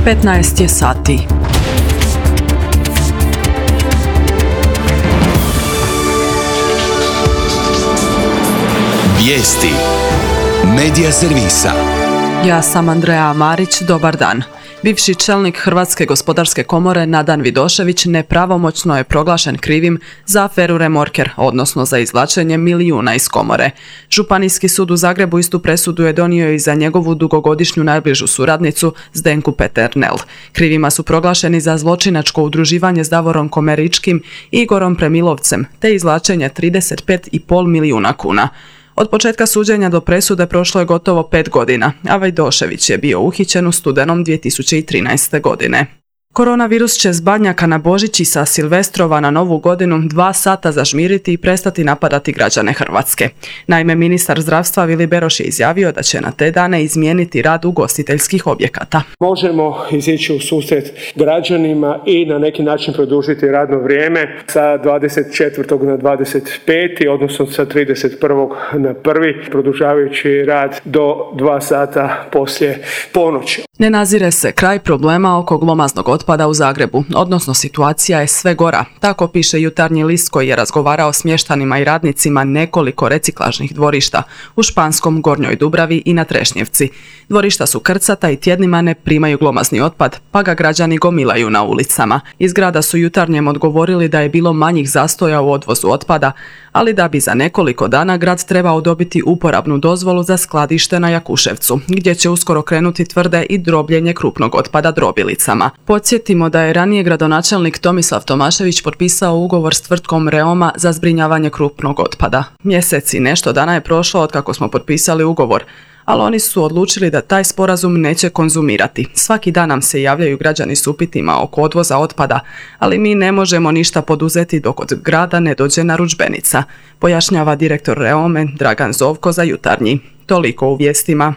15 je sati. Vijesti Medija servisa. Ja sam Andreja Marić, dobar dan. Bivši čelnik Hrvatske gospodarske komore Nadan Vidošević nepravomoćno je proglašen krivim za aferu Remorker, odnosno za izvlačenje milijuna iz komore. Županijski sud u Zagrebu istu presudu je donio i za njegovu dugogodišnju najbližu suradnicu Zdenku Peternel. Krivima su proglašeni za zločinačko udruživanje s Davorom Komeričkim i Igorom Premilovcem, te izvlačenje 35,5 milijuna kuna. Od početka suđenja do presude prošlo je gotovo 5 godina, a Vidošević je bio uhićen u studenom 2013. godine. Koronavirus će s Badnjaka na Božić i sa Silvestrova na Novu godinu 2 sata zažmiriti i prestati napadati građane Hrvatske. Naime, ministar zdravstva Vili Beroš je izjavio da će na te dane izmijeniti rad ugostiteljskih objekata. Možemo izići u susret građanima i na neki način produžiti radno vrijeme sa 24. na 25. odnosno sa 31. na 1. produžavajući rad do 2 sata poslije ponoći. Ne nazire se kraj problema oko glomaznog otpada u Zagrebu, odnosno situacija je sve gora. Tako piše Jutarnji list koji je razgovarao s mještanima i radnicima nekoliko reciklažnih dvorišta u Španskom, Gornjoj Dubravi i na Trešnjevci. Dvorišta su krcata i tjednima ne primaju glomazni otpad, pa ga građani gomilaju na ulicama. Iz grada su Jutarnjem odgovorili da je bilo manjih zastoja u odvozu otpada, ali da bi za nekoliko dana grad trebao dobiti uporabnu dozvolu za skladište na Jakuševcu, gdje će uskoro krenuti tvrde i drobljenje krupnog otpada drobilicama. Podsjetimo da je ranije gradonačelnik Tomislav Tomašević potpisao ugovor s tvrtkom Reoma za zbrinjavanje krupnog otpada. Mjesec i nešto dana je prošlo od kako smo potpisali ugovor, ali oni su odlučili da taj sporazum neće konzumirati. Svaki dan nam se javljaju građani s upitima oko odvoza otpada, ali mi ne možemo ništa poduzeti dok od grada ne dođe narudžbenica, pojašnjava direktor Reome Dragan Zovko za Jutarnji. Toliko u vijestima.